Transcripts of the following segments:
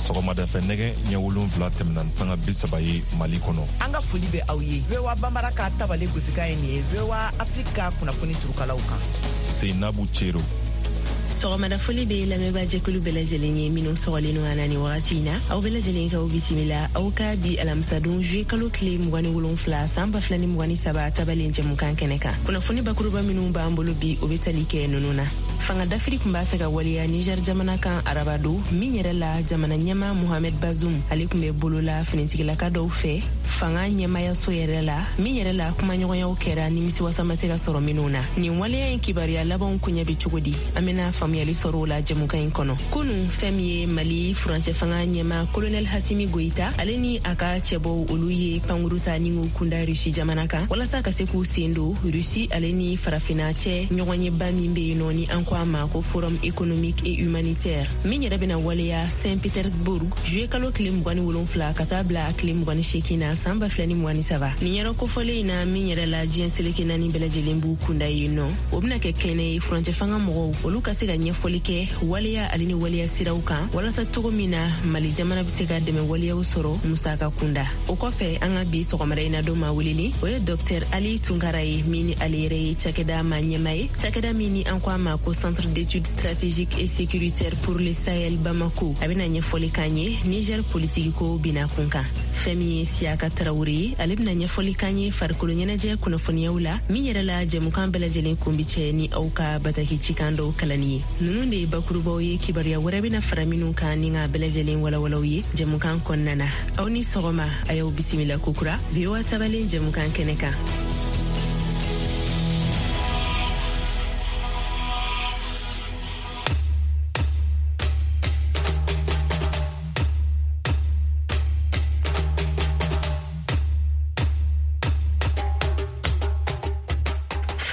Sɔgɔmadafɛ nɛgɛ ɲɛ 7 tɛmɛna ni sanga 30 ye Mali kɔnɔ. An ka foli bɛ aw ye. VOA Banbara ka tabale gosikan ye nin ye VOA Afrique ka kunnafoni turukalaw kan. Seinabu Cero. Sɔgɔmada foli bɛ lamɛnbaa jɛkulu bɛɛ lajɛlen ye minnu sɔgɔlen don an na nin wagati in na. Aw bɛɛ lajɛlen k'aw bisimila aw ka bi alamisadon juillet kalo tile 27 san 2023 tabalen jɛmukan kɛnɛ kan. Kunnafoni bakuruba minnu b'an bolo bi, o bɛ tali kɛ ninnu na. Fanga dafiri tun b'a fɛ ka waleya Niger jamana kan arabadon min yɛrɛ la, jamana ɲɛmaa Mohamed Bazoum ale tun bɛ bolola finitigilaka dɔw fɛ fanga ɲɛmayaso yɛrɛ la, min yɛrɛ la kumaɲɔgɔnyaw kɛra nimisiwasa ma se ka sɔrɔ minnu na. Nin waleya in kibaruya labanw koɲɛ bɛ cogo di? An bɛna faamuyali sɔrɔ o la jɛmukan in kɔnɔ. Kunu, fɛn min ye Mali furancɛ fanga ɲɛmaa Kolonɛl Hasimi Goyita, ale ni a ka cɛbɔw, olu ye pankuru ta ni k'u kunda Rusi jamana kan walasa ka se k'u sen don Rusi ale ni Farafina cɛ ɲɔgɔnyeba min bɛ yen nɔ, ni an ko a ma ko Forum économique et humanitaire, min yɛrɛ bɛna waleya Saint Petersburg juillet kalo tile 27 ka taa bila a tile 28 na san 2023. Nin yɔrɔ kofɔlen in na, min yɛrɛ la diɲɛ seleke naani bɛɛ lajɛlen b'u kunda yen nɔ, o bɛna kɛ kɛnɛ ye furancɛ fanga mɔgɔw olu ka se ka ɲɛfɔli kɛ waleya ale ni waleya siraw kan, walasa cogo min na Mali jamana bɛ se ka dɛmɛ waleyaw sɔrɔ musaka kunda. O kɔfɛ, an ka bi sɔgɔmada in na don maa welelen, o ye Dɔktɛr Ali Tunkara ye, min ni ale yɛrɛ ye cakɛda maa ɲɛmaa ye, cakɛda min ni an ko a ma ko Centre d'études stratégiques et sécuritaires pour le Sahel Bamako. A bɛna ɲɛfɔli k'an ye Niger politiki ko bina kun kan. Fɛn min ye Siyaka Tarawele ye, ale bɛna ɲɛfɔli k'an ye farikolo ɲɛnajɛ kunnafoniyaw la, min yɛrɛ la jɛmukan bɛɛ lajɛlen kun bi cɛ ni aw ka bataki cikan dɔw kalanni ye. Ninnu de ye bakurubaw ye, kibaruya wɛrɛ bɛna fara minnu kan ni k'a bɛɛ lajɛlen walawalaw ye jɛmukan kɔnɔna na. Aw ni sɔgɔma, a y'aw bisimila kokura VOA tabalen jɛmukan kɛnɛ kan.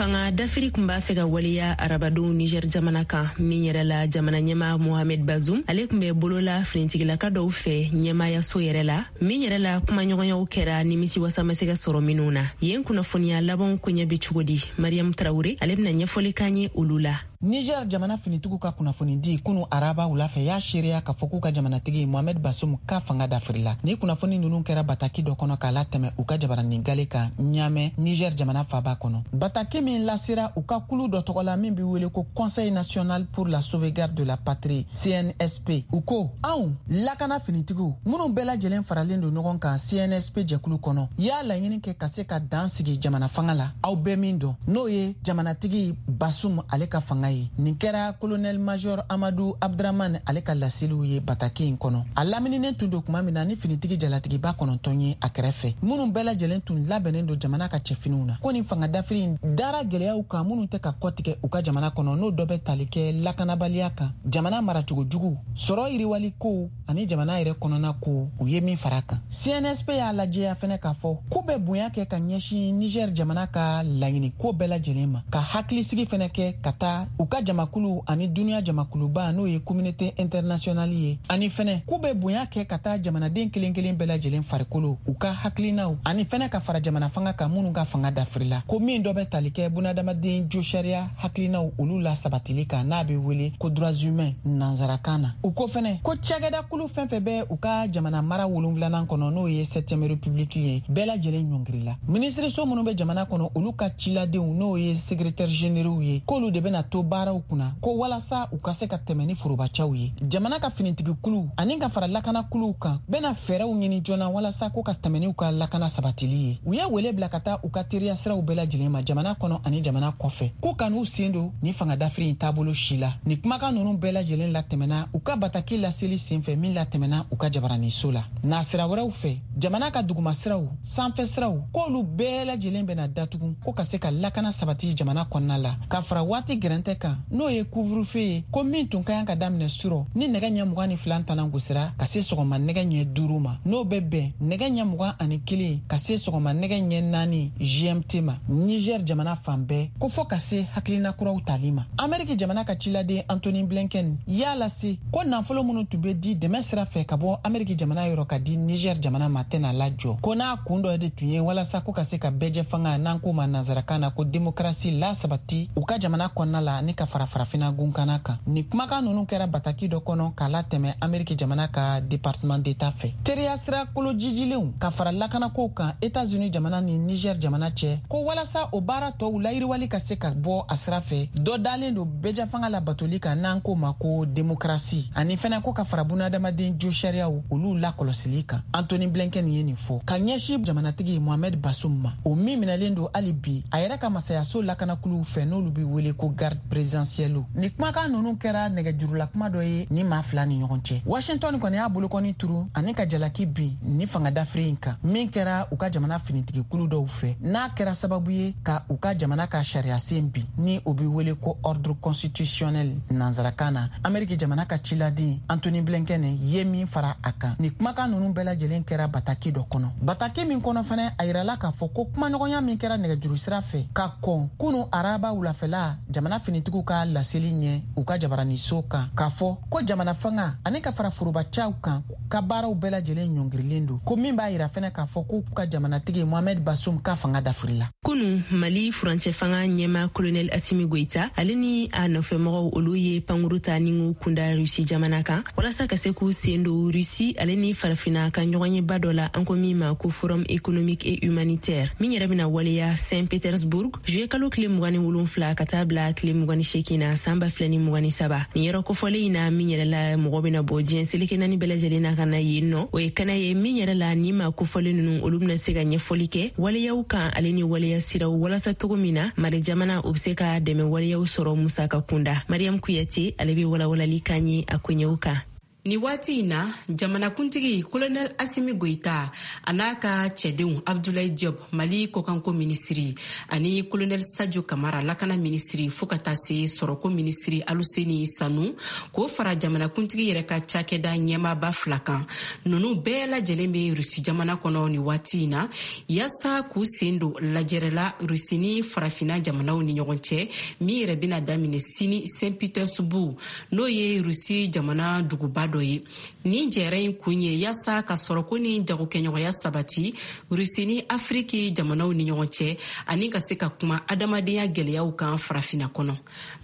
Fanga dafiri tun b'a fɛ ka waleya arabadon Niger jamana kan, min yɛrɛ la jamana ɲɛmaa Mohamed Bazoum ale tun bɛ bolola finitigilaka dɔw fɛ ɲɛmayaso yɛrɛ la, min yɛrɛ la kumaɲɔgɔnyaw kɛra nimisiwasa ma se ka sɔrɔ minnu na. Yen kunnafoniya labanw koɲɛ bɛ cogo di? Mariyamu Tarawure ale bɛna ɲɛfɔli k'an ye olu la. Niger jamana finitigiw ka kunnafonidi kunu araba wula fɛ y'a seereya k'a fɔ k'u ka jamanatigi Mohamed Bazoum ka fanga dafirila. Ni kunnafoni ninnu kɛra bataki dɔ kɔnɔ k'a latɛmɛ u ka jabaranin gale kan Ɲamɛ, Niger jamana faba kɔnɔ. Bataki min lasera u ka kulu dɔ tɔgɔ la min bɛ wele ko Conseil national pour la sauvegarde de la patrie, CNSP, u ko anw lakana finitigiw minnu bɛɛ lajɛlen faralen don ɲɔgɔn kan CNSP jɛkulu kɔnɔ, y'a laɲini kɛ ka se ka dan sigi jamana fanga la aw bɛɛ min dɔn, n'o ye jamanatigi Basum ale ka fanga ye. Nin kɛra colonel major Amadu Abdramane ale ka laseliw ye bataki in kɔnɔ. A lamininen tun don tuma min na ni finitigi jalatigiba 9 ye a kɛrɛfɛ, minnu bɛɛ lajɛlen tun labɛnnen don jamana ka cɛfiniw na. Ko nin fanga dafiri in dara gɛlɛyaw kan minnu tɛ ka kɔtigɛ u ka jamana kɔnɔ, n'o dɔ bɛ tali kɛ lakanabaliya kan, jamana maracogo jugu, sɔrɔ yiriwali ko ani jamana yɛrɛ kɔnɔna ko, u ye min fara kan. CNSP y'a lajɛya fɛnɛ k'a fɔ k'u bɛ bonya kɛ ka ɲɛsin Niger jamana ka laɲini ko bɛɛ lajɛlen ma, ka hakilisigi fɛnɛ kɛ ka taa u ka jamakulu ani duniya jamakuluba, n'o ye communauté internationale ye, ani fɛnɛ k'u bɛ bonya kɛ ka taa jamanaden kelen kelen bɛɛ lajɛlen farikolo, u ka hakilinaw, ani fɛnɛ ka fara jamana fanga kan minnu ka fanga dafirila, ko min dɔ bɛ tali kɛ bunadamaden josariya hakilinaw olu la sabatili kan, n'a bɛ wele ko droits humains nansarakan na. U ko fɛnɛ ko cakɛda kulu fɛn fɛn bɛ u ka jamana mara wolonfilanan kɔnɔ, n'o ye 7e république ye, bɛɛ lajɛlen ɲɔngirila. Minisiriso minnu bɛ jamana kɔnɔ, olu ka ciladenw, n'o ye secrétaire généraux ye, k'olu de bɛna to baaraw kunna, ko walasa u ka se ka tɛmɛ ni forobacaw ye. Jamana ka finitigikuluw ani ka fara lakanakuluw kan bɛna fɛɛrɛw ɲini joona walasa ko ka tɛmɛ n'u ka lakana sabatili ye. U ye wele bila ka taa u ka teriya siraw bɛɛ lajɛlen ma jamana kɔnɔ ani jamana kɔfɛ, k'u kan'u sen don ni fanga dafiri in taabolo si la. Ni kumakan ninnu bɛɛ lajɛlen latɛmɛna u ka bataki laseli senfɛ min latɛmɛna u ka jabaraniso la. Nasira wɛrɛw fɛ, jamana ka dugumasiraw, sanfɛ siraw, k'olu bɛɛ lajɛlen bɛna datugu ko ka se ka lakana sabati jamana kɔnɔna la, ka fara waati gɛrɛntɛ kan, n'o ye couvre-feu ye, ko min tun ka kan ka daminɛ surɔ ni nɛgɛ ɲɛ 22 tanan gosira ka se sɔgɔma nɛgɛ ɲɛ 5 ma, n'o bɛ bɛn nɛgɛ ɲɛ 21 ka se sɔgɔma nɛgɛ ɲɛ 4 GMT ma Niger jamana fan bɛɛ, ko fɔ ka se hakilina kuraw tali ma. Ameriki jamana ka ciladen Antony Blinken y'a lase ko nafolo minnu tun bɛ di dɛmɛ sira fɛ ka bɔ Ameriki jamana yɔrɔ ka di Niger jamana ma tɛna lajɔ, ko n'a kun dɔ de tun ye walasa ko ka se ka bɛɛjɛ fanga, n'an k'o ma nansarakan na ko demokarasi, lasabati u ka jamana kɔnɔna la. Ni ani ka fara farafina gunkana kan. Nin kumakan nunu kɛra bataki dɔ kɔnɔ k'a latɛmɛ Ameriki jamana ka département d'État fɛ. Teriya sira kolojijilenw ka fara lakanakow kan États-Unis jamana ni Niger jamana cɛ, ko walasa o baara tɔw layiriwali ka se ka bɔ a sira fɛ, dɔ dalen don bɛɛjɛfanga labatoli kan n'an k'o ma ko démocratie, ani fɛnɛ ko ka fara bunadamaden jo sariyaw olu lakɔlɔsili kan. Antony Blinken ye nin fɔ ka ɲɛsin jamanatigi Mohamed Bazoum ma, o min minɛlen don hali bi a yɛrɛ ka masayaso lakanakuluw fɛ n'olu bɛ wele ko garde présidentielle. Ni kumakan ninnu kɛra nɛgɛjurula kuma dɔ ye ni maa fila ni ɲɔgɔn cɛ. Washington kɔni y'a bolokɔni turu ani ka jalaki bin ni fanga dafiri in kan min kɛra u ka jamana finitigikulu dɔw fɛ, n'a kɛra sababu ye ka u ka jamana ka sariyasen bin ni o bɛ wele ko ordre constitutionnel nansarakan na. Ameriki jamana ka ciladen Antony Blinken ye min fara a kan. Ni kumakan ninnu bɛɛ lajɛlen kɛra bataki dɔ kɔnɔ, bataki min kɔnɔ fɛnɛ a yirala k'a fɔ ko kumaɲɔgɔnya min kɛra nɛgɛjuru sira fɛ ka kɔn kunu araba wulafɛla jamana finitigiw ka laseli ɲɛ u ka jabaraniso kan, k'a fɔ ko jamana fanga ani ka fara forobacaw kan ka baaraw bɛɛ lajɛlen ɲɔngirilen don, ko min b'a yira fɛnɛ k'a fɔ k'u ka jamanatigi Mohamed Bazoum ka fanga dafirila. Kunu Mali furancɛ fanga ɲɛma Colonel Assimi Goïta ale ni a nɔfɛmɔgɔw olu ye pankuru ta ni k'u kunda Russie jamana kan walasa ka se k'u sen don Russie ale ni farafinna ka ɲɔgɔnyeba dɔ la an ko min ma ko Forum économique et humanitaire min yɛrɛ bɛna waleya Saint-Pétersbourg juillet kalo tile 27 ka taa bila tile 28 na san 2023. Nin yɔrɔ kofɔlen in na min yɛrɛ la mɔgɔ bɛna bɔ diɲɛ seleke naani bɛɛ lajɛlen na ka na yen nɔ, o ye kɛnɛ ye min yɛrɛ la ni maa kofɔlen ninnu olu bɛna se ka ɲɛfɔli kɛ waleyaw kan ale ni waleya siraw walasa cogo min na Mali jamana o bɛ se ka dɛmɛ waleyaw sɔrɔ musaka kunda. Mariam Kuyate ale bɛ walawalali kan ye a koɲɛw kan. Ni waati in na jamanakuntigi Colonel Assimi Goïta a n'a ka cɛdenw Abdoulaye Diop Mali kɔkanko minisiri ani Colonel Sadio Kamara lakana minisiri fo ka taa se sɔrɔko minisiri Aluseni Sanu k'o fara jamanakuntigi yɛrɛ ka cakɛda ɲɛmaaba fila kan, ninnu bɛɛ lajɛlen bɛ Rusi jamana kɔnɔ ni waati in na yaasa k'u sen don lajɛrɛ la Rusi ni farafinna jamanaw ni ɲɔgɔn cɛ min yɛrɛ bɛna daminɛ sini Saint-Pétersbourg n'o ye Rusi jamana duguba dɔ ye. Nin jɛrɛ in kun ye yaasa ka sɔrɔko ni jagokɛɲɔgɔnya sabati Rusi ni Afiriki jamanaw ni ɲɔgɔn cɛ ani ka se ka kuma adamadenya gɛlɛyaw kan farafinna kɔnɔ.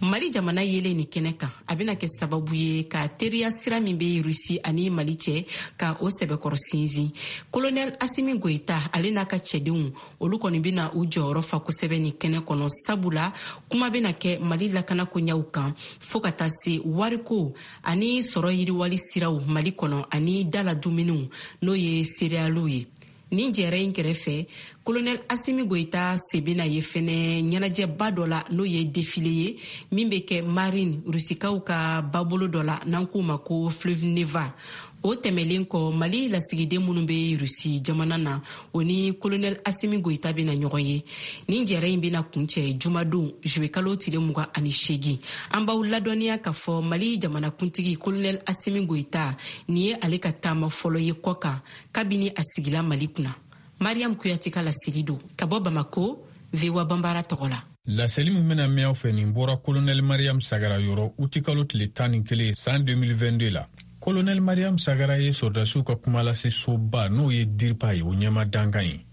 Mali jamana yelen nin kɛnɛ kan a bɛna kɛ sababu ye ka teriya sira min bɛ Rusi ani Mali cɛ ka o sɛbɛkɔrɔ sinsin. Colonel Assimi Goïta ale n'a ka cɛdenw olu kɔni bɛna u jɔyɔrɔ fa kosɛbɛ nin kɛnɛ kɔnɔ, sabula kuma bɛna kɛ Mali lakanako ɲɛw kan fo ka taa se wariko ani sɔrɔ yiriwali siraw Mali kɔnɔ ani dala dumuniw n'o ye céréales ye. Nin jɛrɛ in kɛrɛfɛ Colonel Assimi Goïta sen bɛna ye fɛnɛ ɲɛnajɛba dɔ la n'o ye défilé ye min bɛ kɛ Marine Rusikaw ka babolo dɔ la n'an k'o ma ko Fleuve Neva. O tɛmɛlen kɔ Mali lasigiden minnu bɛ Rusi jamana na o ni Colonel Assimi Goïta bɛna ɲɔgɔn ye. Nin jɛrɛ in bɛna kuncɛ jumadon juillet kalo tile 28. An b'aw ladɔnniya k'a fɔ Mali jamanakuntigi Colonel Assimi Goïta nin ye ale ka taama fɔlɔ ye kɔ kan kabini a sigila Mali kunna. Mariam Kuyate ka laseli don ka bɔ Bamako VOA Banbara tɔgɔ la. Laseli min bɛna mɛn aw fɛ nin bɔra Colonel Mariam Sagara yɔrɔ utikalo tile 11 san 2022 la. Colonel Mariam Sagara ye sɔrɔdasiw ka kumalase soba n'o ye DIRPA ye o ɲɛma dankan ye.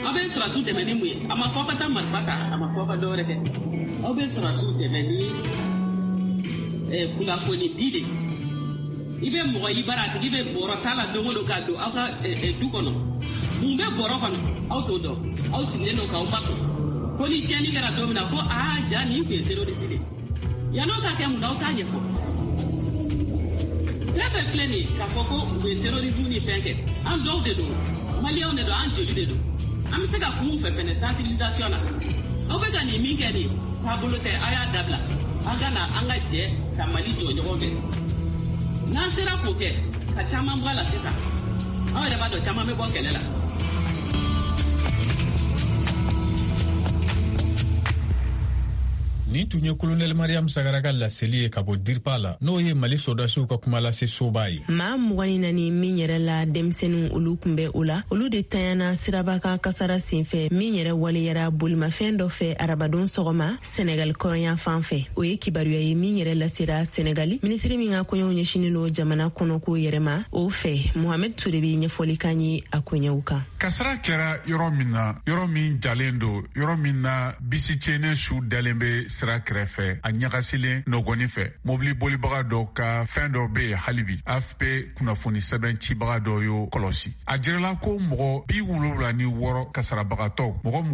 Aw bɛ sɔrɔdasiw dɛmɛ ni mun ye? A ma fɔ aw ka taa marifa ta, a ma fɔ aw ka dɔwɛrɛ kɛ. Aw bɛ sɔrɔdasiw dɛmɛ ni kunnafoni di de. I bɛ mɔgɔ i bara a tigi bɛ bɔrɔ ta la don o don ka don aw ka du kɔnɔ. Mun bɛ bɔrɔ kɔnɔ? Aw t'o dɔn. Aw sigilen don k'aw makun. Fo ni tiɲɛni kɛra don min na ko aa ja nin tun ye terroriste de ye. Yann'o ka kɛ mun na aw t'a ɲɛfɔ. Fɛn fɛn filɛ nin ye k'a fɔ ko u bɛ terrorisme ni fɛn kɛ, an dɔw de don, maliyɛnw de don, an joli de don. An bɛ se ka kun fɛ fɛnɛ sensibilisation na. Aw bɛ ka nin min kɛ nin taabolo tɛ, aw y'a dabila. An ka na an ka jɛ ka Mali jɔ ɲɔgɔn fɛ. N'an sera k'o kɛ ka caman bɔ a la sisan, aw yɛrɛ b'a dɔn caman bɛ bɔ kɛlɛ la. Nin tun ye Kolonɛli Mariam Sagara ka laseli ye ka bɔ Dirpa la, n'o ye Mali sɔrɔdasiw ka kumalase soba ye. Maa 24 min yɛrɛ la denmisɛnninw olu kun bɛ o la, olu de tanyana siraba kan kasara senfɛ min yɛrɛ waleyara bolimafɛn dɔ fɛ arabadon sɔgɔma Senegali kɔrɔnyan fan fɛ. O ye kibaruya ye min yɛrɛ lasera Senegali minisiri min ka koɲɛw ɲɛsinnen don jamana kɔnɔko yɛrɛ ma o fɛ. Mohamed Ture bɛ ɲɛfɔli k'an ye a koɲɛw kan. Kasara kɛra yɔrɔ min na, yɔrɔ min jalen don, yɔrɔ min na bisi tiɲɛnen su dalen bɛ sira kɛrɛfɛ, a ɲagasilen nɔgɔni fɛ, mobili bolibaga dɔ ka fɛn dɔ bɛ yen hali bi. AFP kunnafoni sɛbɛn cibaga dɔ y'o kɔlɔsi. A jirala ko mɔgɔ 76 kasarabagatɔw, mɔgɔ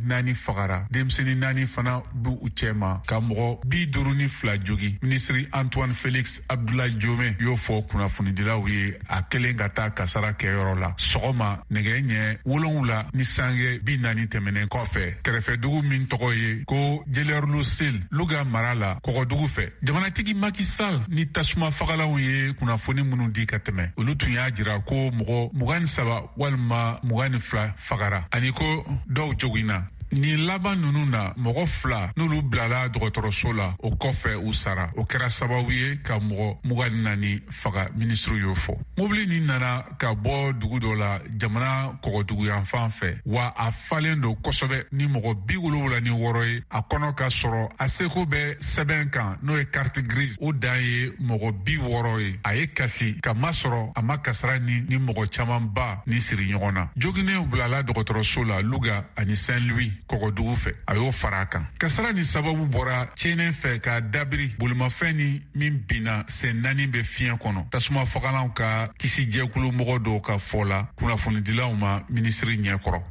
24 fagara, denmisɛnnin 4 fana b'u cɛma, ka mɔgɔ 52 jogi. Minisiri Antoine Félix Abdoulaye Diome y'o fɔ kunnafonidilaw ye a kelen ka taa kasara kɛyɔrɔ la sɔgɔma nɛgɛ ɲɛ 7:40 tɛmɛnen kɔfɛ, kɛrɛfɛdugu min tɔgɔ ye ko Djélerlou Sil, Louga mara la, kɔgɔdugu fɛ. Jamanatigi Macky Sall ni tasuma fagalanw ye kunnafoni minnu di ka tɛmɛ, olu tun y'a jira ko mɔgɔ 23 walima 22 fagara ani ko dɔw joginna. Nin laban ninnu na, mɔgɔ 2 n'olu bilala dɔgɔtɔrɔso la, o kɔfɛ u sara. O kɛra sababu ye ka mɔgɔ 24 faga, minisiriw y'o fɔ. Mobili nin nana ka bɔ dugu dɔ la jamana kɔgɔduguyanfan fɛ, wa a falen don kosɛbɛ ni mɔgɔ 76 ye a kɔnɔ, ka sɔrɔ a seko bɛ sɛbɛn kan, n'o ye carte grise, o dan ye mɔgɔ 60 ye. A ye kasi ka masɔrɔ a ma kasara ni mɔgɔ camanba ni siri ɲɔgɔn na. Joginnenw bilala dɔgɔtɔrɔso la Louga ani Saint-Louis kɔgɔdugu fɛ, a y'o fara a kan. Kasara ni sababu bɔra tiɲɛnen fɛ ka dabiri bolimafɛn ni min binna sen 4 bɛ fiɲɛ kɔnɔ. Tasuma fagalanw ka kisijɛkulu mɔgɔ dɔw ka fɔ la kunnafonidilaw ma minisiri ɲɛkɔrɔ.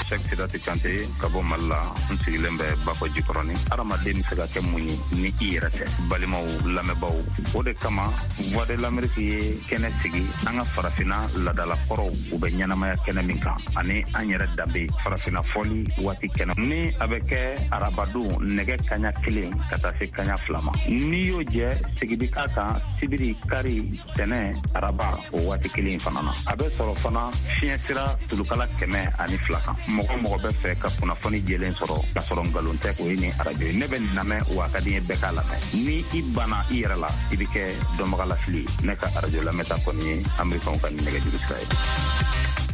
Cheikh Sidati Kante ka bɔ Mali la, n sigilen bɛ Bakɔ Jikɔrɔni. Hadamaden bɛ se ka kɛ mun ye ni i yɛrɛ tɛ? Balimaw, lamɛnbaaw, o de kama Voix de l'Amérique ye kɛnɛ sigi an ka farafinna laadalakɔrɔw u bɛ ɲɛnamaya kɛnɛ min kan, ani an yɛrɛ danbe farafinna fɔli waati kɛnɛ ni a bɛ kɛ arabadon nɛgɛ kaɲa 1 ka taa se kaɲa 2 ma. N'i y'o jɛ, sigi bi k'a kan sibiri, kari, tɛnɛ, araba o waati kelen fana na. A bɛ sɔrɔ fana fiɲɛ sira tulukala 102 kan. Mɔgɔ mɔgɔ bɛ fɛ ka kunnafoni jɛlen sɔrɔ k'a sɔrɔ nkalon tɛ, o ye nin arajo ye. Ne bɛ nin lamɛn, wa a ka di n ye bɛɛ k'a lamɛn. Ni i banna i yɛrɛ la, i bɛ kɛ dɔnbagalafili ye. Ne ka arajo lamɛnta kɔni ye Amerikanw ka nɛgɛjuru sira ye.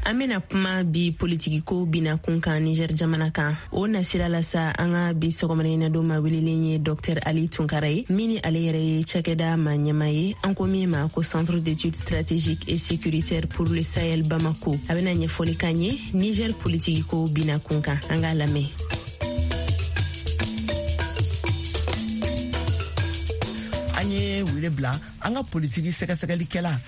An bena kuma bi politikiko bina kun kan Niger jamana kan. O nasira la sa, an ka bi sɔgɔmada don ma welelen ye Dr Ali Tunkara ye, min ni ale yɛrɛ ye cakɛda ma ɲɛma ye an ko min ma ko Centre d'études stratégiques et sécuritaires pour le Sahel Bamako. A bena ɲɛfɔli kan ye Niger politikiko bina kun kan. An k'a lamɛn. An ye wele bila an ka politiki sɛgɛsɛgɛlikɛla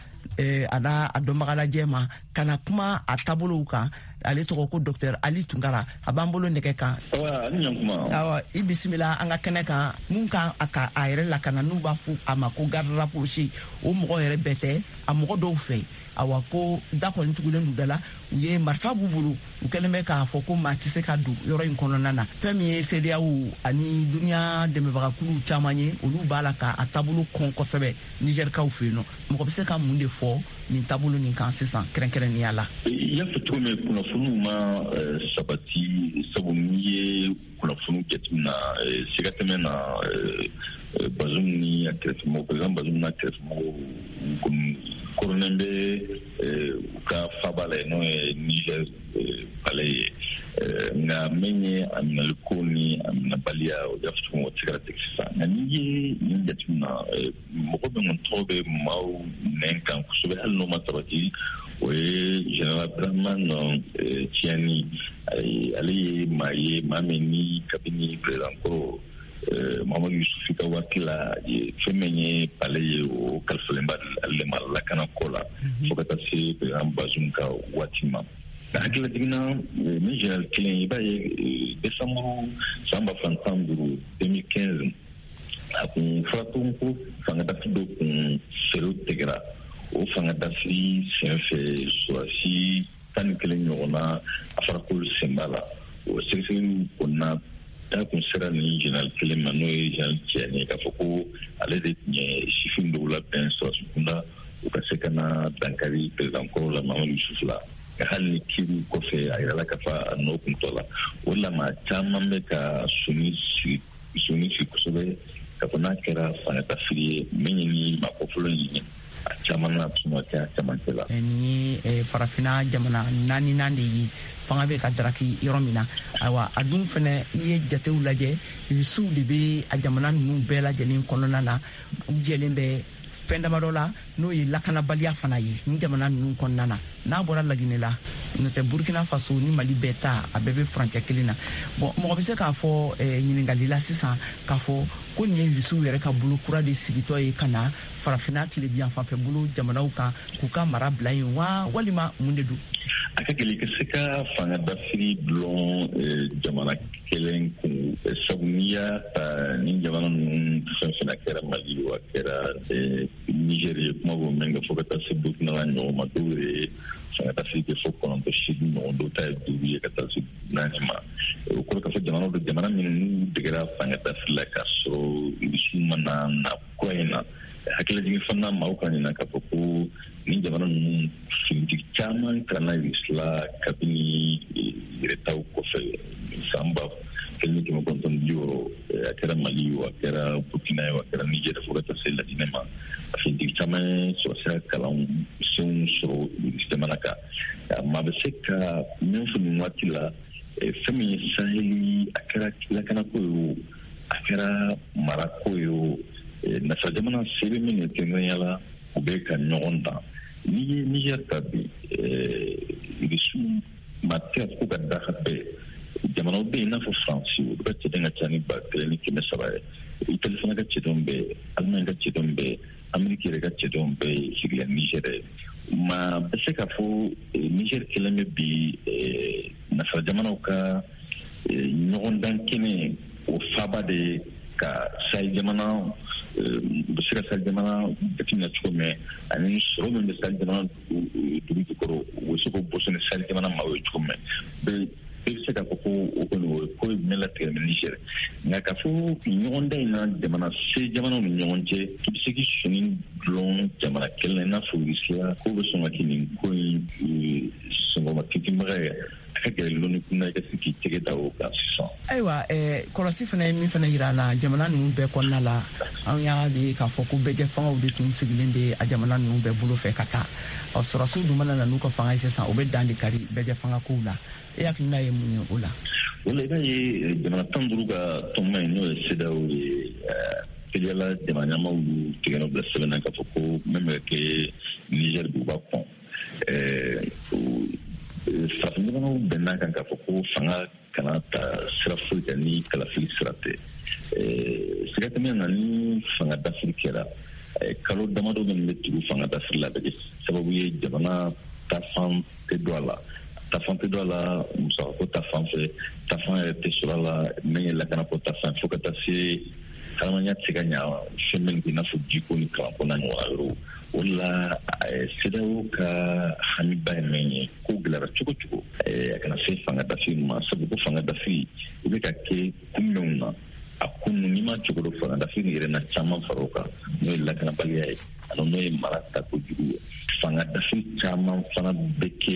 a n'a a dɔnbagalajɛ ma ka na kuma a taabolow kan. Ale tɔgɔ ko Dr Ali Tunkara, a b'an bolo nɛgɛ kan. Awa, i bisimila an ka kɛnɛ kan. Mun kan a ka a yɛrɛ lakana, n'u b'a fɔ a ma ko garde rapproché, o mɔgɔ yɛrɛ bɛɛ tɛ, a mɔgɔ dɔw fɛ, awa, ko da kɔni tugulen don da la, u ye marifa b'u bolo, u kɛlen bɛ k'a fɔ ko maa tɛ se ka don yɔrɔ in kɔnɔna na. Fɛn min ye CEDEAO ani duniya dɛmɛbagakulu caman ye, olu b'a la ka a taabolo kɔn kosɛbɛ Nizɛrikaw fɛ yen nɔ. Mɔgɔ bɛ se ka mun de fɔ nin taabolo nin kan sisan kɛrɛnkɛrɛnnenya la? I y'a fɔ cogo min, kunnafoniw ma sabati, sabu n'i ye kunnafoniw jateminɛ sigatɛmɛ na, Bazoum ni a kɛrɛfɛmɔgɔw, président Bazoum n'a kɛrɛfɛmɔgɔw kɔni koronnen bɛ u ka faba la yen, n'o ye Niger palais ye. Nka min ye a minɛliko ni a minɛbaliya, o y'a fɔ cogo min, o tɛ se ka tigɛ sisan. Nka n'i ye nin jateminɛ, mɔgɔ min kɔni tɔgɔ bɛ maaw nɛn kan kosɛbɛ, hali n'o ma sabati, o ye général Abdramane Tiani. Ale ye maa ye, maa min ni kabini président kɔrɔ Mamadu Yusufu ka waati la, fɛn min ye palais ye, o kalifalen b'a ale ma lakana ko la, fo ka taa se président Bazoum ka waati ma. Nka hakilila jiginna ni général kelen, i b'a ye décembre san 2015, 2015, a kun fɔra tuguni ko fanga dafiri dɔ kun fɛɛrɛw tigɛra. O fanga dafiri senfɛ, sɔrɔdasi 11 ɲɔgɔnna a fɔra k'olu sen b'a la. O sɛgɛsɛgɛliw kɔnɔna da kun sera nin général kelen ma, n'o ye général Tiani, k'a fɔ ko ale de tun ye sifin dɔw labɛn sɔrɔdasi kunda, u ka se ka na dankari président kɔrɔ la, Mamadu Yusufu la. Hali ni kiri kɔfɛ, a yirala k'a fɔ a nɔ kun t'o la. O la, maa caman bɛ ka sɔmi sigi sɔmi sigi kosɛbɛ k'a fɔ n'a kɛra fangadafiri ye, min ye ni maa kɔfɔlɔ in ye, a caman na tun ka kɛ a camancɛ la. Nin ye Farafinna jamana naaninan de ye fanga bɛ ka daraki yɔrɔ min na. Ayiwa, a dun fɛnɛ, n'i ye jatew lajɛ, Irisiw de bɛ a jamana ninnu bɛɛ lajɛlen kɔnɔna na. U jɛlen bɛ fɛn damadɔ la, n'o ye lakanabaliya fana ye ni jamana ninnu kɔnɔna na. N'a bɔra Laginɛ la, n'o tɛ, Burkina Faso ni Mali bɛɛ ta, a bɛɛ bɛ furancɛ kelen na. Bɔn, mɔgɔ bɛ se k'a fɔ ɲininkali la sisan k'a fɔ ko nin ye Irisiw yɛrɛ ka bolo kura de sigitɔ ye ka na Farafinna tilebiyan fanfɛ bolo jamanaw kan k'u ka mara bila yen wa, walima mun de don? A ka gɛlɛn ka se ka fanga dafiri dulon jamana kelen kun, sabu n'i y'a ta, ni jamana ninnu fɛn fɛn, a kɛra Mali o, a kɛra Niger ye, kuma b'o min kɛ, fo ka taa se Burkina la ɲɔgɔn ma, dɔw yɛrɛ ye fanga dafiri kɛ fo 9, 8 ɲɔgɔn, dɔw ta ye duuru ye ka taa se naani ma. O kɔrɔ k'a fɔ jamana dɔ, jamana minnu n'u degera fanga dafiri la k'a sɔrɔ Irisiw ma na na kura in na. Hakililajigin fana, maaw ka ɲina k'a fɔ ko ni jamana ninnu finitigi caman kalanna Irisi la kabini yɛrɛtaw kɔfɛ san 1960. A kɛra Mali o, a kɛra Burkina ye o, a kɛra Niger, fo ka taa se Laginɛ ma, a finitigi caman ye sɔrɔsiya kalan senw sɔrɔ Irisi jamana kan. Maa bɛ se ka min fɔ nin waati la, fɛn min ye Saheli, a kɛra lakanako ye o, a kɛra marako ye o, nasara jamana se bɛ min ye, kɛrɛnkɛrɛnya la, u bɛ ka ɲɔgɔn dan. N'i ye Niger ta bi, Irisiw maa tɛ ka ko ka daga bɛɛ. Jamanaw bɛ yen i n'a fɔ Faransi, olu ka cɛden ka ca ni 1300 ye. Itali fana ka cɛdenw bɛ yen, Allemagne ka cɛdenw bɛ yen, Ameriki yɛrɛ ka cɛdenw bɛ yen sigilen Niger ye. Maa bɛ se k'a fɔ Niger kɛlen bɛ bi nasara jamanaw ka ɲɔgɔndan kɛnɛ o faaba de ye, ka Sahel jamana bɛ se ka Sahel jamana jateminɛ cogo min, ani sɔrɔ min bɛ Sahel jamana dugu jukɔrɔ, u bɛ se k'o boso ni Sahel jamana maaw ye cogo min. Bɛɛ bɛ se k'a fɔ ko o kɔni, o ye ko ye min latigɛ ni Niger. Nka k'a fɔ ɲɔgɔndan in na, jamana se jamanaw ni ɲɔgɔn cɛ, k'i bɛ se k'i sɔnni dulon jamana kelen na i n'a fɔ Russie, k'o bɛ sɔn ka kɛ nin ko in sɔngɔma tintinbaga ye, a ka gɛlɛn lɔnni kunna i ka se k'i tɛgɛ da o kan sisan. Ayiwa, kɔlɔsi fana ye min fana yira an na jamana ninnu bɛɛ kɔnɔna la, an y'a ye k'a fɔ ko bɛɛjɛ fangaw de tun sigilen bɛ a jamana ninnu bɛɛ bolo fɛ ka taa. Ɔ, sɔrɔsiw dun mana na n'u ka fanga ye sisan, u bɛ dan de kari bɛɛjɛ fanga kow la. E hakilina ye mun ye o la? O la, i b'a ye jamana 15 ka tɔnba in, n'o ye CEDEAO ye, teliyala jamana ɲɛmaaw y'u tɛgɛ nɔ bila sɛbɛn na k'a fɔ ko min bɛ kɛ Niger bi, u b'a kɔn. Farafin jamanaw bɛnna kan k'a fɔ ko fanga kana ta sira foyi kan ni kalafili sira tɛ. Siga tɛ min na, ni fanga dafiri kɛra, kalo damadɔ minnu bɛ tugu fanga dafiri la, a bɛ kɛ sababu ye jamana taafan tɛ don a la, taafan tɛ don a la musakako ta fan fɛ, taafan yɛrɛ tɛ sɔrɔ a la min ye lakanako ta fan, fo ka taa se hadamadenya tɛ se ka ɲa fɛn min i n'a fɔ jiko ni kalanko n'a ɲɔgɔnna yɔrɔw. O de la, CEDEAO ka hamiba ye min ye, ko gɛlɛyara cogo cogo, a kana se fanga dafiri ma, sabu ko fanga dafiri i bɛ ka kɛ kun minnu na, a kun n'i ma cogo dɔ, fanga dafiri yɛrɛ na caman fara o kan, n'o ye lakanabaliya ye ani n'o ye mara tako jugu ye. Fanga dafiri caman fana bɛ kɛ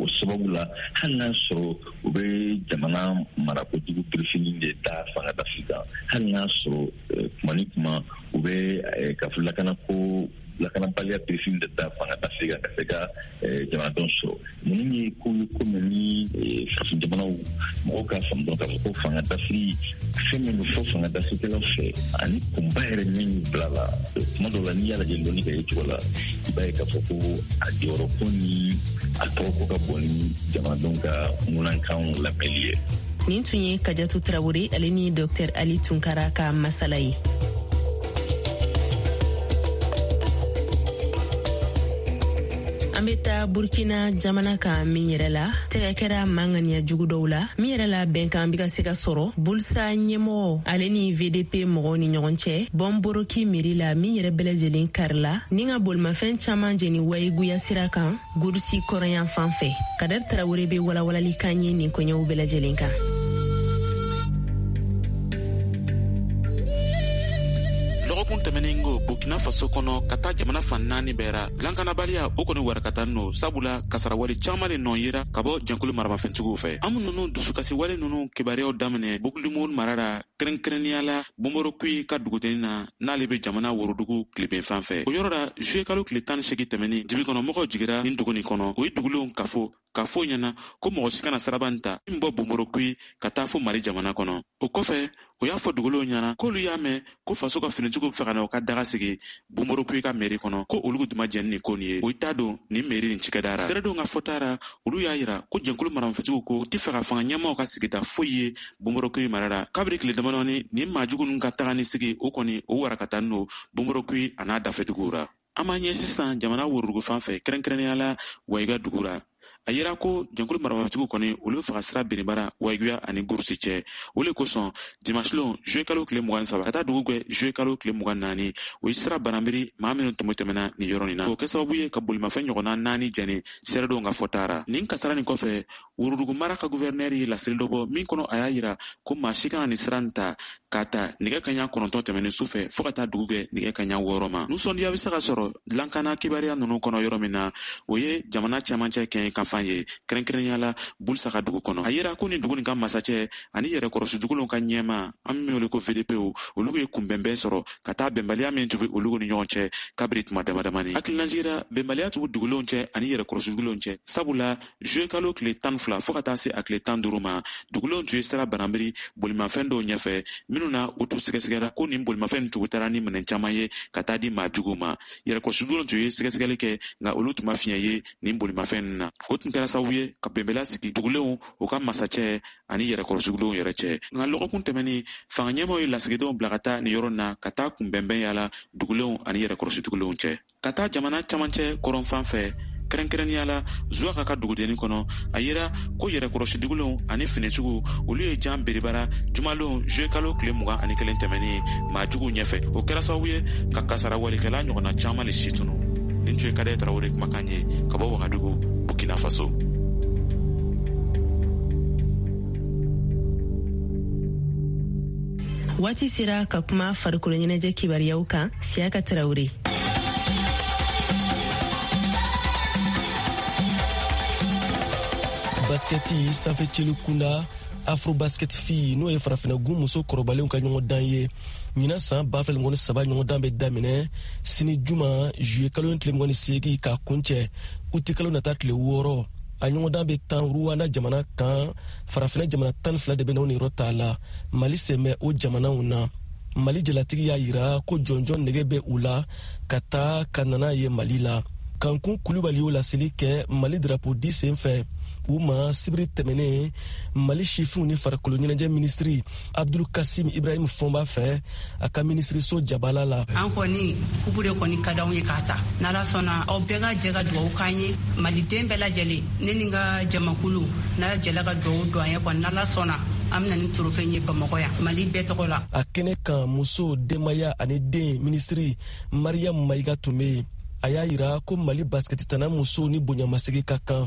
o sababu la, hali n'a sɔrɔ u bɛ jamana marako jugu birifini de da fanga dafiri kan, hali n'a sɔrɔ kuma ni kuma u bɛ ka fɔ lakanako, lakanabaliya birifini de da fanga dafiri kan ka se ka jamanadenw sɔrɔ. Ninnu ye ko ye ko min ni farafin jamanaw mɔgɔw k'a faamu dɔrɔn k'a fɔ ko fanga dafiri, fɛn min bɛ fɔ fanga dafirikɛlaw fɛ ani kunba yɛrɛ min bila la, kuma dɔw la, n'i y'a lajɛ lɔnni ka ye cogo la, i b'a ye k'a fɔ ko a jɔyɔrɔ ko ni a tɔgɔ ko ka bon ni jamanadenw ka ŋunankanw lamɛnli ye. Nin tun ye Kajatu Tarawele ale ni Dr Ali Tunkara ka masala ye. An bɛ taa Burkina jamana kan, min yɛrɛ la tɛgɛ kɛra manganiya jugu dɔw la, min yɛrɛ la bɛnkan bɛ ka se ka sɔrɔ Bulsa ɲɛmɔgɔ ale ni VDP mɔgɔw ni ɲɔgɔn cɛ Bɔnboroki mairie la, min yɛrɛ bɛɛ lajɛlen karila ni ka bolimafɛn caman jeni Wayiguya sira kan, Gurusi kɔrɔyan fan fɛ. Kadɛri Tarawele bɛ walawalali kan ye nin koɲɛw bɛɛ lajɛlen kan. Lɔgɔkun tɛmɛnen ko Burkina Faso kɔnɔ ka taa jamana fan 4 bɛɛ ra, lankanabaliya o kɔni warakata no, sabula kasarawale caaman le nɔ yera ka bɔ jɛnkulu maramafɛntigiw fɛ. An nunu dusukasiwale nunu kibaruyaw daminɛ Boucle du Mouhoun mara ra, kɛrɛnkɛrɛnnenya la Bomborokui ka dugudennin na, n'ale be jamana worodugu tileben fan fɛ. O yɔrɔ ra, juye kalo tile 18 tɛmɛnin, dibikɔnɔmɔgɔw jigira nin dugu nin kɔnɔ. O ye dugulenw kafo k'a fɔ ɲɛna ko mɔgɔ si kana siraba nin ta min bɔ Bomborokui ka taa fo Mali jamana kɔnɔ. O kɔfɛ, o y'a fɔ dugulenw ɲɛna k'olu y'a mɛn ko faso ka finitigiw fɛ ka na u ka daga sigi Bomborokui ka meri kɔnɔ, ko olu tun ma jɛn ni ko nin ye. O ye taa don nin meri nin cikɛda ra. Seeredenw ka fɔta ra, olu y'a yira ko jɛnkulu maramafɛntigiw ko u tɛ fɛ ka fanga ɲɛmaaw ka sigida foyi ye Bomborokui mara la. Kabiri tile damadɔni, nin maajugu ninnu ka taga ni sigi o kɔni o warakata no Bomborokui a n'a dafɛduguw ra. An b'an ɲɛ sisan jamana worodugu fan fɛ, kɛrɛnkɛrɛnnenya la Wayiga dugu ra. A yira ko jɛnkulu maramafɛntigiw kɔni olu bɛ fɛ ka sira benibara Wayiguya ani Gurusi cɛ. O le kosɔn dimanche lon juillet kalo tile 23 ka taa dugu gwɛ juillet kalo tile 24, o ye sira bananbiri maa minnu tun bɛ tɛmɛna nin yɔrɔ nin na. O kɛ sababu ye ka bolimafɛn ɲɔgɔnna 4 jɛni seeredenw ka fɔta ra. Nin kasara nin kɔfɛ, worodugu mara ka guvɛrinɛri ye laseli dɔ bɔ min kɔnɔ a y'a yira ko maa si kana nin sira nin ta k'a ta nɛgɛ kaɲa 9 tɛmɛnen su fɛ fɔɔ ka taa dugu gwɛ nɛgɛ kaɲa 6 ma. Nisɔndiya bɛ se ka sɔrɔ lankana kibaruya ninnu kɔnɔ yɔrɔ min na, o ye jamana cɛmancɛ kɛɲɛ kan fan ye, kɛrɛnkɛrɛnnenya la Bulisa ka dugu kɔnɔ. A yira ko nin dugu nin ka masacɛ ani yɛrɛkɔrɔsi dugulenw ka ɲɛma, an min wele ko VDP, olu ye kunbɛnbɛn sɔrɔ ka taa bɛnbaliya min tun bɛ olu ni ɲɔgɔn cɛ kabiri tuma damadamani. Hakililajigin, bɛnbaliya tun bɛ dugulenw cɛ ani yɛrɛkɔrɔsi dugulenw cɛ, sabula juillet kalo tile 12 fɔɔ ka taa se a tile 15 ma, dugulenw tun ye sira bananbiri bolimafɛn dɔw ɲɛfɛ minnu na u tun sɛgɛsɛgɛra ko nin bolimafɛn tun taara ni minɛn caman ye ka taa di maa juguw ma. Yɛrɛkɔrɔsi dugulenw tun ye sɛgɛsɛgɛli kɛ, nka olu tun ma fiɲɛ ye nin bolimafɛn ninnu na. O tun kɛra sababu ye ka bɛnbaliya sigi dugulenw, u ka masacɛ ani yɛrɛkɔrɔsi dugulenw yɛrɛ cɛ. Nka lɔgɔkun tɛmɛnin, fanga ɲɛmaaw ye lasigidenw bila ka taa nin yɔrɔ na ka taa kunbɛnbɛn yala dugulenw ani yɛrɛkɔrɔsi dugulenw cɛ. Ka taa jamana camancɛ kɔrɔn fan fɛ, kɛrɛnkɛrɛnnenya la Zuwaka ka dugudennin kɔnɔ, a yira ko yɛrɛkɔrɔsi dugulenw ani finitigiw olu ye jan beribara jumalon juillet kalo tile 21 tɛmɛnin maa juguw ɲɛfɛ. O kɛra sababu ye ka kasara walikɛla ɲɔgɔnna caman le si tunu. Nin tun ye Kadɛ Tarawele kumakan ye ka bɔ Wagadugu, Burkina Faso. Waati sera ka kuma farikolo ɲɛnajɛ kibaruyaw kan. Siyaka Tarawele. Baskɛti sanfɛ celu kunda Afrobasket fi, n'o ye farafinna gun muso kɔrɔbalenw ka ɲɔgɔndan ye, ɲinan san 2023 ɲɔgɔndan bɛ daminɛ sini juma juillet kalo tile 28 k'a kuncɛ uti kalo nata tile 6. A ɲɔgɔndan bɛ tan Rwanda jamana kan. Farafinna jamana 12 de bɛ n'o niyɔrɔ t'a la. Mali sen bɛ o jamanaw na. Mali jalatigi y'a yira ko jɔnjɔn nege bɛ u la ka taa ka nana ye Mali la. Kankun Kulubali y'o laseli kɛ Mali drapeau di sen fɛ u ma sibiri tɛmɛnen Mali sifinw ni farikolo ɲɛnajɛ minisiri Abdul Kasim Ibrahim Fɔnba fɛ a ka minisiriso jabala la. An kɔni kupu de kɔni ka d'anw ye k'a ta. N'Ala sɔnna, aw bɛɛ ka jɛ ka dugawu k'an ye, maliden bɛɛ lajɛlen, ne ni n ka jamakulu n'a jɛla ka dugawu don an ye kɔni, n'Ala sɔnna an bɛna ni trophée ye Bamakɔ yan Mali bɛɛ tɔgɔ la. A kɛnɛ kan, muso, denbaya ani den minisiri Mariam Mayiga tun bɛ yen. A y'a yira ko Mali basikɛtitana musow ni bonyamasegi ka kan,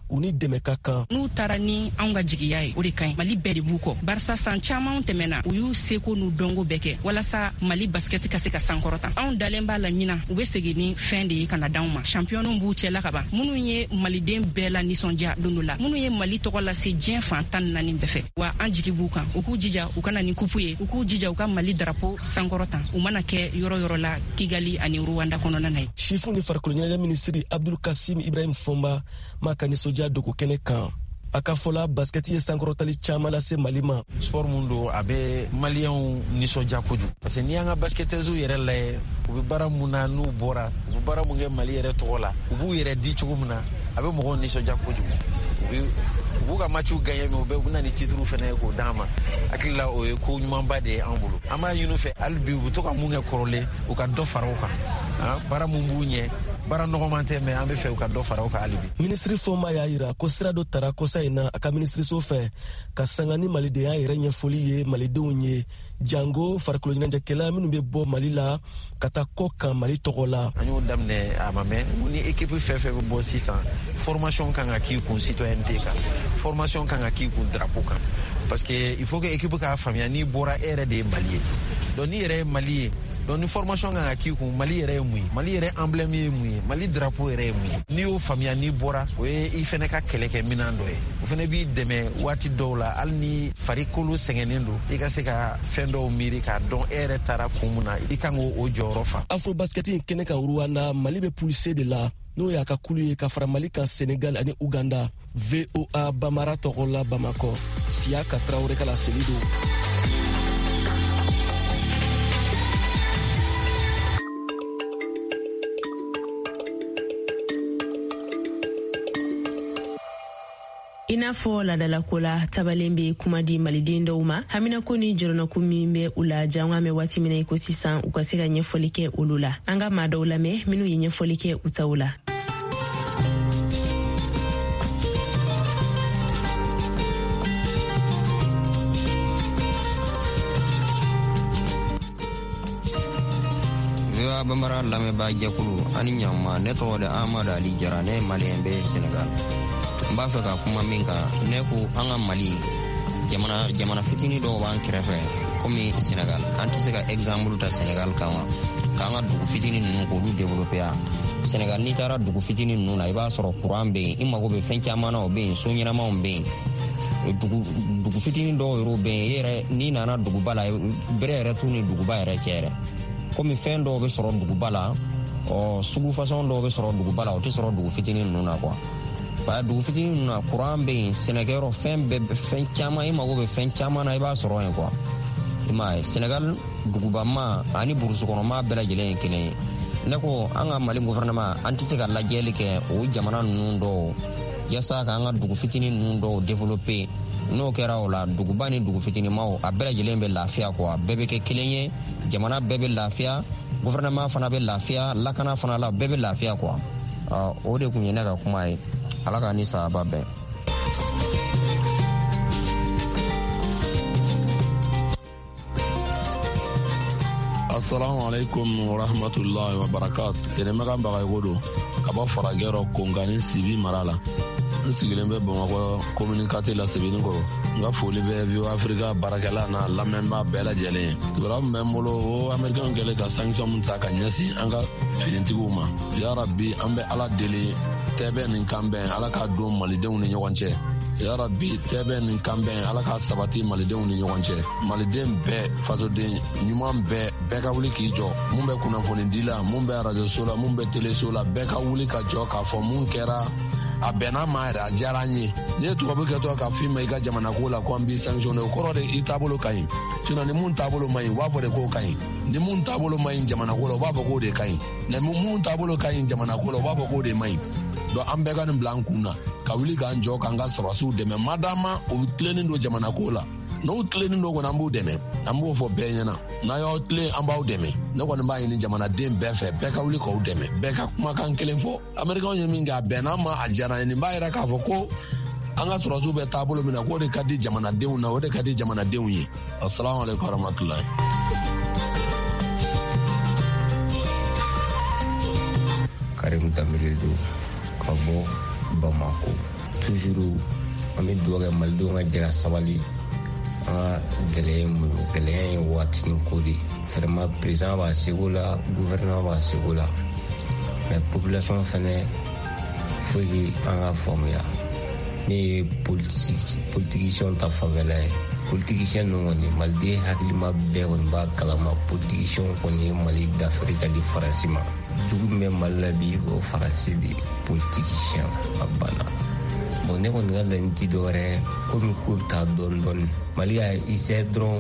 u ni dɛmɛ ka kan. N'u taara ni anw ka jigiya ye, o de ka ɲi. Mali bɛɛ de b'u kɔ, barisa san caman tɛmɛna, u y'u seko n'u dɔnko bɛɛ kɛ walasa Mali basikɛti ka se ka sankɔrɔta. Anw dalen b'a la ɲinan u bɛ segin ni fɛn de ye ka na d'anw ma. Championw b'u cɛla ka ban, minnu ye maliden bɛɛ la nisɔndiya don dɔ la, minnu ye Mali tɔgɔ lase diɲɛ fan 14 bɛɛ fɛ. Wa an jigi b'u kan, u k'u jija u ka na ni kupu ye, u k'u jija u ka Mali drapeau sankɔrɔta, u mana kɛ yɔrɔ yɔrɔ la Kigali ani Rwanda kɔnɔna na ye. Sifinw ni farikolo ɲɛnajɛ minisiri Abdul Kasim Ibrahim Fɔnba m'a ka nisɔndiya dogo kɛnɛ kan. A ka fɔ la, basikɛti ye sankɔrɔtali caman lase Mali ma. Sport mun don, a bɛ maliyɛnw nisɔndiya kojugu, parce que n'i y'an ka basketteuses yɛrɛ lajɛ, u bɛ baara mun na, n'u bɔra u bɛ baara mun kɛ Mali yɛrɛ tɔgɔ la, u b'u yɛrɛ di cogo min na, a bɛ mɔgɔw nisɔndiya kojugu. U b'u ka matchw gagner, mais u bɛ na ni titre fɛnɛ ye k'o d'an ma. Hakili la, o ye ko ɲumanba de ye an bolo. An b'a ɲini u fɛ hali bi, u bɛ to ka mun kɛ kɔrɔlen, u ka dɔ fara o kan. Baara mun b'u ɲɛ, baara nɔgɔman tɛ, mais an bɛ fɛ u ka dɔ fara o kan hali bi. Minisiri Fɔnba y'a yira ko sira dɔ tara kɔsa in na a ka minisiriso fɛ ka sanga ni malidenya yɛrɛ ɲɛfɔli ye malidenw ye, jango farikolo ɲɛnajɛkɛla minnu bɛ bɔ Mali la ka taa kɔ kan Mali tɔgɔ la. An y'o daminɛ a ma mɛn. Ni équipe fɛn fɛn bɛ bɔ sisan, formation kan ka k'i kun citoyenneté kan, formation kan ka k'i kun drapeau kan, parce que il faut que équipe k'a faamuya n'i bɔra, e yɛrɛ de ye Mali ye. Donc n'i yɛrɛ ye Mali ye, Donc ni formation kan ka k'i kun, Mali yɛrɛ ye mun ye, Mali yɛrɛ emblème ye mun ye, Mali drapeau yɛrɛ ye mun ye, n'i y'o faamuya n'i bɔra, o ye i fɛnɛ ka kɛlɛkɛminan dɔ ye. O fɛnɛ b'i dɛmɛ waati dɔw la, hali ni farikolo sɛgɛnnen don, i ka se ka fɛn dɔw miiri k'a dɔn e yɛrɛ taara kun mun na, i kan k'o jɔyɔrɔ fa. Afrobasket in kɛnɛ kan Rwanda, Mali bɛ poule C de la, n'o y'a ka kulu ye ka fara Mali kan, Senegal ani Uganda. VOA Bambara tɔgɔ la Bamakɔ, Siyaka Tarawele ka laseli don. I n'a fɔ ladalako la, tabalen bɛ kuma di maliden dɔw ma, haminako ni jɔrɔnako min bɛ u la jango an bɛ waati min na i ko sisan, u ka se ka ɲɛfɔli kɛ olu la. An ka maa dɔw lamɛn minnu ye ɲɛfɔli kɛ u taw la. VOA Bambara lamɛnbaa jɛkulu, ani ɲama. Ne tɔgɔ de Amadu Ali Jara, ne ye maliyɛn bɛ Senegal. N b'a fɛ ka kuma min kan, ne ko an ka Mali jamana, jamana fitinin dɔw b'an kɛrɛfɛ komi Senegal, an tɛ se ka exemple ta Senegal kan wa, k'an ka dugu fitinin ninnu k'olu développer ya? Senegal, n'i taara dugu fitinin ninnu na, i b'a sɔrɔ courant bɛ yen, i mago bɛ fɛn caman na, o bɛ yen, so ɲɛnamaw bɛ yen. Dugu fitinin dɔw yɛrɛ bɛ yen, i yɛrɛ n'i nana duguba la, bɛrɛ yɛrɛ t'u ni duguba yɛrɛ cɛ yɛrɛ. Komi fɛn dɔw bɛ sɔrɔ duguba la, ɔ sugu fasɔn dɔw bɛ sɔrɔ duguba la, o tɛ sɔrɔ dugu fitinin ninnu na quoi. Ba dugu fitinin ninnu na, courant bɛ yen, sɛnɛkɛyɔrɔ, fɛn bɛɛ, fɛn caman, i mago bɛ fɛn caman na, i b'a sɔrɔ yen quoi. I m'a ye, Senegal dugubama ani burusukɔnɔma bɛɛ lajɛlen ye kelen ye. Ne ko an ka Mali gouvernement, an tɛ se ka lajɛli kɛ o jamana ninnu dɔw yaasa k'an ka dugu fitinin ninnu dɔw développer? N'o kɛra o la, duguba ni dugu fitinimaw, a bɛɛ lajɛlen bɛ lafiya quoi, bɛɛ bɛ kɛ kelen ye, jamana bɛɛ bɛ lafiya, gouvernement fana bɛ lafiya, lakana fana la, bɛɛ bɛ lafiya quoi. O de kun ye ne ka kuma ye. Ala k'a ni sahaba bɛn. Assalamu alaikum wa rahmatullahi wa barakatu. Tɛnɛmɛka Bagayogo don ka bɔ Farajɛ rɔ, Konkani Sibi mara la. N sigilen bɛ Bamakɔ commune quatre la, Sebenikɔrɔ. N ka foli bɛ VOA Afrika baarakɛla n'a lamɛnbaa bɛɛ lajɛlen ye. Kibaruya min bɛ n bolo, o Américain kɛlen ka sanction min ta ka ɲɛsin an ka finitigiw ma. Ya Rabbi, an bɛ Ala deli, tɛbɛn ni kanbɛn, Ala k'a don malidenw ni ɲɔgɔn cɛ. Ya Rabbi, tɛbɛn ni kanbɛn, Ala k'a sabati malidenw ni ɲɔgɔn cɛ. Maliden bɛɛ, fasoden ɲuman bɛɛ, bɛɛ ka wuli k'i jɔ. Mun bɛ kunnafoni di la, mun bɛ arajoso la, mun bɛ teleso la, bɛɛ ka wuli ka jɔ k'a fɔ mun kɛra, a bɛnna ma yɛrɛ, a diyara an ye. N'i ye tubabu kɛtɔ ka f'i ma i ka jamana ko la ko an b'i sanctionné, o kɔrɔ de i taabolo ka ɲi. Sinon ni mun taabolo man ɲi, u b'a fɔ de k'o ka ɲi. Ni mun taabolo man ɲi jamana ko la, u b'a fɔ k'o de ka ɲi. Ni mun taabolo ka ɲi jamana ko la, u b'a fɔ k'o de man ɲi. Donc an bɛɛ ka nin bila an kun na, ka wuli k'an jɔ k'an ka sɔrɔdasiw dɛmɛ, madama u tilennen don jamana ko la. N'u tilennen don kɔni, an b'u dɛmɛ. An b'o fɔ bɛɛ ɲɛna, n'a y'aw tilen, an b'aw dɛmɛ. Ne kɔni b'a ɲini jamanaden bɛɛ fɛ, bɛɛ ka wuli k'aw dɛmɛ, bɛɛ ka kumakan kelen fɔ. Amerikɛnw ye min kɛ, a bɛnna ma, a diyara an ye. Nin b'a yira k'a fɔ ko an ka sɔrɔdasiw bɛ taabolo min na, k'o de ka di jamanadenw na, o de ka di jamanadenw ye. Assalamu alaikum warahmatullahi. Karim Danbele don ka bɔ Bamako. Toujours an bɛ dugawu kɛ malidenw ka jɛ ka sabali. An ka gɛlɛya ye mun ye? Gɛlɛya ye waatinin ko de. Vraiment, président b'a seko la, gouvernement b'a seko la, mais population fɛnɛ, faut que an ka faamuya. Ne ye politicien ta fanfɛla ye. Politicien ninnu kɔni, maliden hakilima bɛɛ kɔni b'a kalama, politicien kɔni ye Mali dafiri ka di Faransi ma. Jugu min bɛ Mali la bi, o Faransi de politicien, a banna. Bon, ne kɔni ka laɲini ti dɔwɛrɛ, komi ko bɛ taa dɔɔni dɔɔni, Mali ka essayé dɔrɔn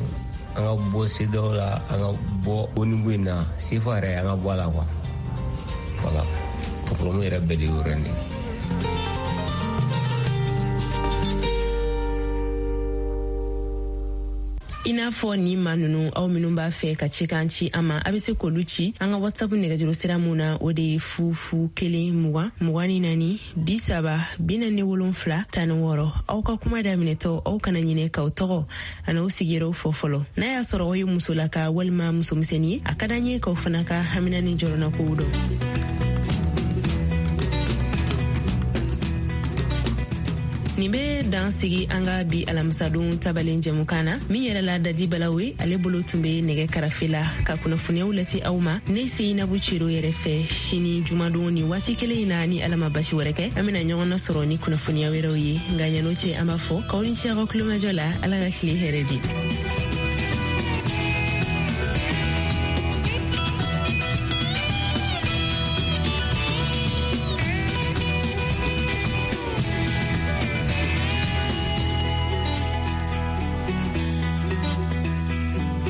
an ka bɔ CEDEAO la, an ka bɔ ONU in na, CFA yɛrɛ, an ka bɔ a la quoi. Voilà, problème yɛrɛ bɛɛ de y'o yɔrɔ in de ye. I n'a fɔ ni maa nunu, aw minnu b'a fɛ ka cikan ci an ma, a be se k'olu ci an ka WhatsApp nɛgɛjuru sira mun na, o de ye 0 0 1 20 24 30 47 16. Aw ka kuma daminɛtɔ, aw kana ɲinɛ k'aw tɔgɔ an'aw sigiyɔrɔw fɔ fɔlɔ. N'a y'a sɔrɔ aw ye musolaka walima musomisɛnnin ye, a ka d'an ye k'aw fana ka hamina ni jɔrɔnakow dɔn. Nin bɛ dan sigi an ka bi alamisadon tabalen jɛmukan na. Min yɛrɛ la Dadi Balawe, ale bolo tun bɛ nɛgɛ karafe la ka kunnafoniyaw lase aw ma. Ne Seyinabu Cero yɛrɛ fɛ, sini jumadon ni waati kelen in na, ni Ala ma basi wɛrɛ kɛ, an bɛna ɲɔgɔn nasɔrɔ ni kunnafoniya wɛrɛw ye. Nka yan'o cɛ, an b'a fɔ k'aw ni ce aw ka kulomajɔ la. Ala ka tile hɛrɛ di.